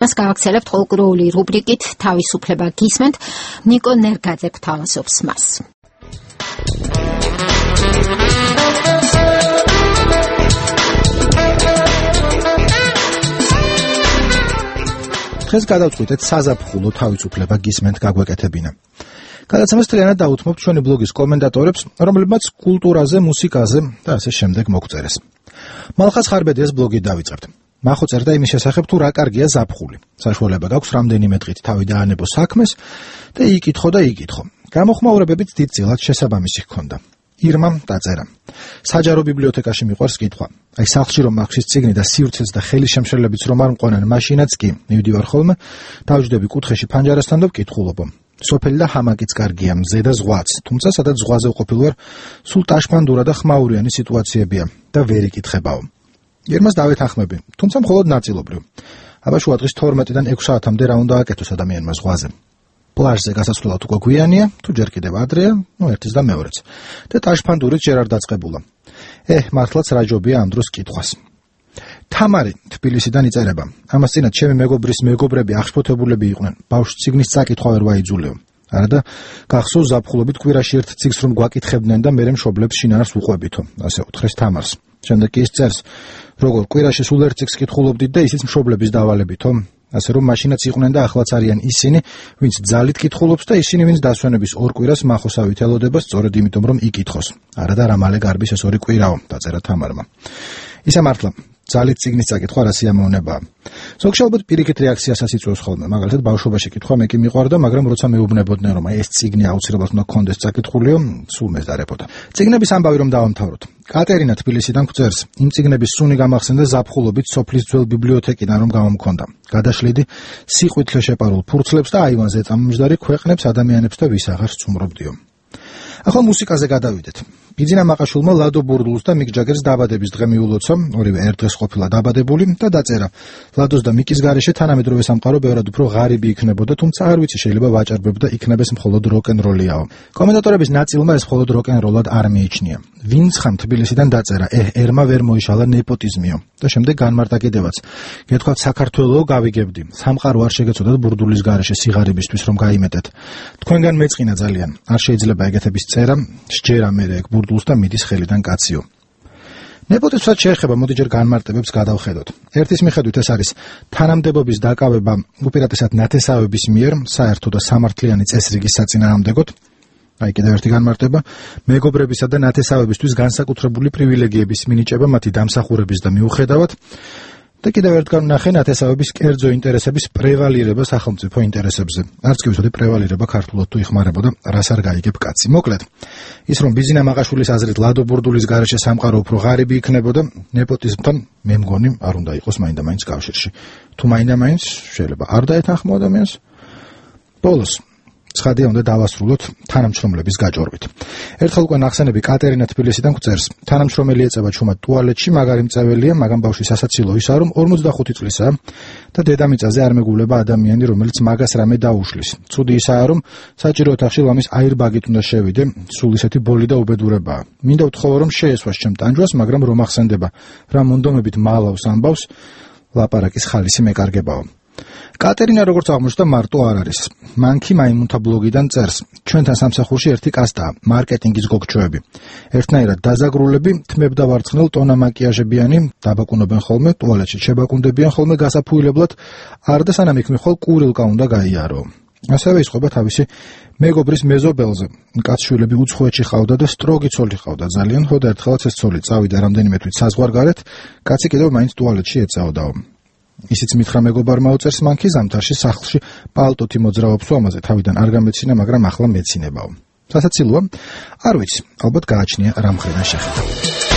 მას გავაქცელებთ ყოველკვირეული რუბრიკით თავისუფლება გისმენთ. ნიკო ნერგაძე გვთავაზობს მას. დღეს გადავწყვიტეთ საზაფხულო თავისუფლება გისმენთ გაგვეკეთებინა. გადაცემას მთლიანად დაუთმობთ ჩვენი ბლოგის კომენტატორებს, რომლებმაც კულტურაზე, მუსიკაზე და ასე შემდეგ მოგწერეს. მალხას ხარბედიას ბლოგი დავიწყებთ. მახო წერდა იმის შესახებ, თუ რა კარგია ზაფხული. საშუალება გაქვს რამდენიმე დღით თავი დაანებო საქმეს და იკითხო. გამოხმაურებებით დიდწილად შესაბამისი ჰქონდა. ირმამ დაწერა. საჯარო ბიბლიოთეკაში მიყვარს კითხვა. აი სახლში რომ მაქვს წიგნი და სივრცეც და ხელის შემშლებიც რომ არ მყონან, მაშინაც კი მივდივარ ხოლმე, დავჯდები კუთხეში ფანჯარასთან და ვკითხულობ. სოფელი და ჰამაკიც კარგია, მზე და ზღვაც, თუმცა სადაც ზღვაზე ვყოფილ ვარ, სულ ტაშფანდურა და ხმაურიანი სიტუაციებია და ვერ იკითხებაო. ირმას დავეთანხმები, თუმცა მხოლოდ ნაწილობრივ. აბა შუა დღის 12-დან 6 საათამდე რა უნდა აკეთოს ადამიანმა ზღვაზე. პლაჟზე გასასვლელად უკვე გვიანია, თუ ჯერ კიდევ ადრეა, ერთის და მეორეც. და ტაშფანდურით ჯერ არ დაწყებულა. მართლაც რა ჯობია ამ დროს კითხვას. თამარი თბილისიდან იწერება. ამას წინათ ჩემი მეგობრის მეგობრები აღშფოთებულები იყვნენ. ბავშვს ციგნის წაკითხვა ვერ ვაიძულიო. არა და გახსოვს ზაფხულობით კვირაში ერთ ციგს რომ გვაკითხებდნენ და მერე მშობლებს შინაარს უყვებითო. ასე უთხრეს თამარს. შემდეგ კი ის წერს, როგორ კვირაში სულ ერთ ციგს კითხულობდით და ისიც მშობლების დავალებითო. ასე რომ მაშინაც იყვნენ და ახლაც არიან ისინი, ვინც ძალით კითხულობს და ისინი, ვინც დასვენების ორ კვირას მახოსავით ელოდება, სწორედ იმიტომ რომ იკითხოს. არა და რა მალე გარბის ეს ორი კვირაო, დაწერა თამარმა. ისა მართლა ძალით ციგნის წაკითხვა რა სიამოვნებაა. ზოგში ალბათ პირიქით რეაქციასაც იწვევს ხოლმე. მაგალითად ბავშვობაში კითხვა მე კი მიყვარდა, მაგრამ როცა მეუბნებოდნენ რომ ეს ციგნი აუცილებლად უნდა კონდეს წაკითხულიო, სულ მეზარებოდა. ციგნების ამბავი რომ დავამთავროთ. კატერინა თბილისიდან გვწერს, იმ ციგნების სუნი გამახსენდა ზაფხულობით სოფლის ძველ ბიბლიოთეკიდან რომ გამომქონდა. გადაშლიდი სიყვითლე შეპარულ ფურცლებს და აივანზე წამომჯდარი ქვეყნებს, ადამიანებს და ვის აღარ სწუმრობდიო. ახლა მუსიკაზე გადავიდეთ. ბიძინა მაყაშვილმა ლადო ბურდულს და მიკ ჯაგერს დაბადების დღე მიულოცა, ორივე ერთ დღეს ყოფილა დაბადებული და დაწერა. ლადოს და მიკის გარეშე თანამედროვე სამყარო ბევრად უფრო ღარიბი იქნებოდა, თუმცა არ ვიცი შეიძლება ვაჭარბებდა იქნებეს მხოლოდ როკ-ენ-როლიაო. კომენტატორების ნაწილმა ეს მხოლოდ როკ-ენ-როლად არ მიიჩნია. ვინც ხამ თბილისიდან დაწერა, ერმა ვერ მოიშალა ნეპოტიზმიო და შემდეგ განმარტა კიდევაც. გეთქვათ საქართველო გავიგებდი. სამყარო არ შეგეცოდათ ბურდულის გარეშე სიღარიბისთვის რომ გაიმეტეთ. თქვენგან მეწყინა ძალიან. არ შეიძლება ეგეთების წერა, სჯერა მე ეგ ბურდულს და მიდის ხელიდან კაციო. ნეპოტიზმსაც შეეხება, მოდი ჯერ განმარტებებს გადავხედოთ. ერთის მიხედვით ეს არის თანამდებობის დაკავება უპირატესად ნათესავების მიერ, საერთო და სამართლიანი წესრიგის საწინააღმდეგოდ. აი კიდევ ერთი განმარტება, მეგობრებისა და ნათესავებისთვის განსაკუთრებული პრივილეგიების მინიჭება მათი დამსახურების და მიუხედავად. და კიდევ ერთგან ვნახე ნათესავების კერძო ინტერესების პრევალირება სახელმწიფო ინტერესებზე. არც კი ვიცოდი პრევალირება ქართულად თუ იხმარებოდა, რას არ გაიგებ კაცი. მოკლედ, ის რომ ბიძინა მაყაშვილის აზრით ლადო ბურდულის გარეშე სამყარო უფრო ღარიბი იქნებოდა, ნეპოტიზმთან მე მგონი არ უნდა იყოს მაინდა-მაინც კავშირში. თუ მაინდა-მაინც შეიძლება არ დაეთანხმო ადამიანს. ბოლოს ცხადია უნდა დავასრულოთ თანამშრომლების გაჭორვით. ერთხელ უკვე ნახსენები კატერინა თბილისიდან გვწერს, თანამშრომელი ეწევა ჩუმად ტუალეტში, მაგარი მწეველია, მაგრამ ბავშვის სასაცილო ისაა, რომ 45 წლისაა და დედამიწაზე არ მეგულება ადამიანი, რომელიც მაგას რამე დაუშლის. ცუდი ისაა, რომ საჭირო ოთახში ლამის აირბაგით უნდა შევიდე, სულ ისეთი ბოლი და უბედურებაა. მინდა ვთხოვო, რომ შეესვას ჩემ ტანჯვას, მაგრამ რომ ახსენდება, რა მონდომებით მალავს ამბავს, ლაპარაკის ხალისი მეკარგებაო. კატერინა როგორც აღმოჩნდა მარტო არ არის. მანქი მაიმუნთა ბლოგიდან წერს, ჩვენთან სამსახურში ერთი კასტაა, მარკეტინგის გოგჩოები. ერთნაირად დაზაგრულები, თმებდა ვარცხნელ ტონა მაკიაჟებიანი, დაბაკუნებენ ხოლმე, ტუალეტში შებაკუნდებიან ხოლმე გასაფუილებლად, არ და სანამ იქ მიხვალ კურილკა უნდა გაიარო. ასევე ისყვება თავისი მეგობრის მეზობელზე. კაცშვილები უცხოეთში ყავდა და სტროგი ცოლი ყავდა ძალიან, ხო და ერთხელაც ეს ცოლი წავიდა რამდენიმე თვით საზღვარგარეთ, კაცი კიდევ მაინც ტუალეტში ეწაოდაო. ისიც მითხრა მეგობარმა უწერს მანქი ზამთარში სახლში პალტოთი მოძრაობს ამაზე თავიდან არ გამეცინა, მაგრამ ახლა მეცინებაო. სასაცილოა? არ ვიცი, ალბათ გააჩნია რა მხრიდან შეხედა.